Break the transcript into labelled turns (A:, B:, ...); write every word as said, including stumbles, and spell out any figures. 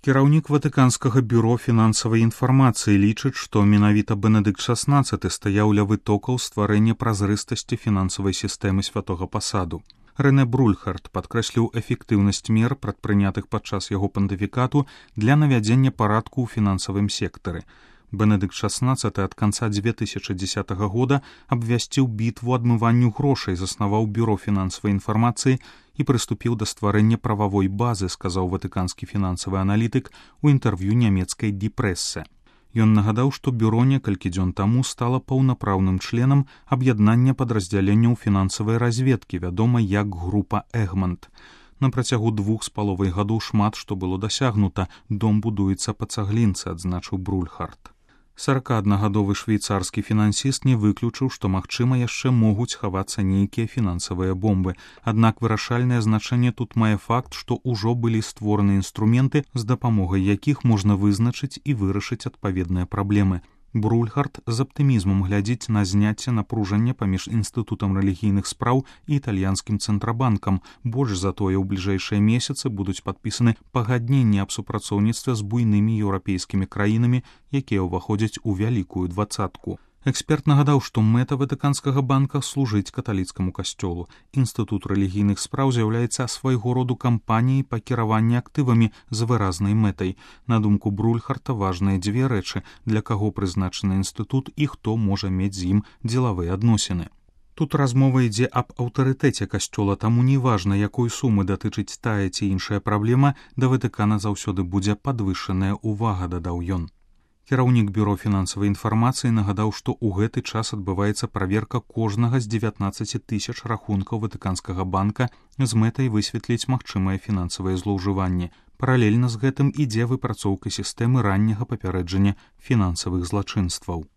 A: Кіраўнік Ватыканскага бюро фінансавай інфармацыі лічыць, што менавіта Бенедыкт шаснаццаты стаяў ля вытокаў стварэння празрыстасці фінансавай сістэмы святога пасаду. Рэнэ Брульхард падкрэсліў эфектыўнасць мер, прадпрынятых падчас яго пантыфікату для навядзення парадку ў фінансавым сектары. Бенедыкт шаснаццаты ад канца дзве тысячы дзесятага года абвясціў бітву адмыванню грошай, заснаваў бюро фінансавай інфармацыі і прыступіў да стварэння прававой базы, сказаў ватыканскі фінансавы аналітык у інтэрв'ю нямецкай Die Presse. Ён нагадаў, што бюро некалькі дзён таму стала паўнапраўным членам аб'яднання падраздзяленняў фінансавай разведкі, вядома як група Эгмонт. На працягу двух з паловай гадоў шмат што было дасягнута, дом будуецца па цаглінцы, адзначыў Брульхард. саракааднагадовы швейцарскі фінансіст не выключыў, што, магчыма, яшчэ могуць хавацца нейкія фінансавыя бомбы. Аднак вырашальнае значэнне тут мае факт, што ўжо былі створаны інструменты, з дапамогай якіх можна вызначыць і вырашыць адпаведныя праблемы. Брульхард з аптымізмам глядзіць на зняцце напружання паміж інстытутам рэлігійных спраў і італьянскім цэнтрабанкам. Больш за тое, у бліжэйшыя месяцы будуць падпісаны пагадненні аб супрацоўніцтве з буйнымі еўрапейскімі краінамі, якія ўваходзяць у вялікую дваццатку. Эксперт нагадаў, што мэта Ватыканскага банка служыць каталіцкаму касцёлу. Інстытут рэлігійных спраў з'яўляецца свайго роду кампаніяй па кіраванні актывамі з выразнай мэтай. На думку Брульхарта, важныя дзве рэчы, для каго прызначаны інстытут і хто можа мець з ім дзелавыя адносіны. Тут размова ідзе аб аўтарытэце касцёла, таму не важна, якой сумы датычыць тая ці іншая праблема, да Ватыкана заўсёды будзе падвышаная ўвага, дадаў ён. Кіраўнік бюро фінансавай інфармацыі нагадаў, што ў гэты час адбываецца праверка кожнага з дзевятнаццаці тысяч рахункаў Ватыканскага банка з мэтай высветліць магчымыя фінансавыя злоўжыванні. Паралельна з гэтым ідзе выпрацоўка сістэмы ранняга папярэджання фінансавых злачынстваў.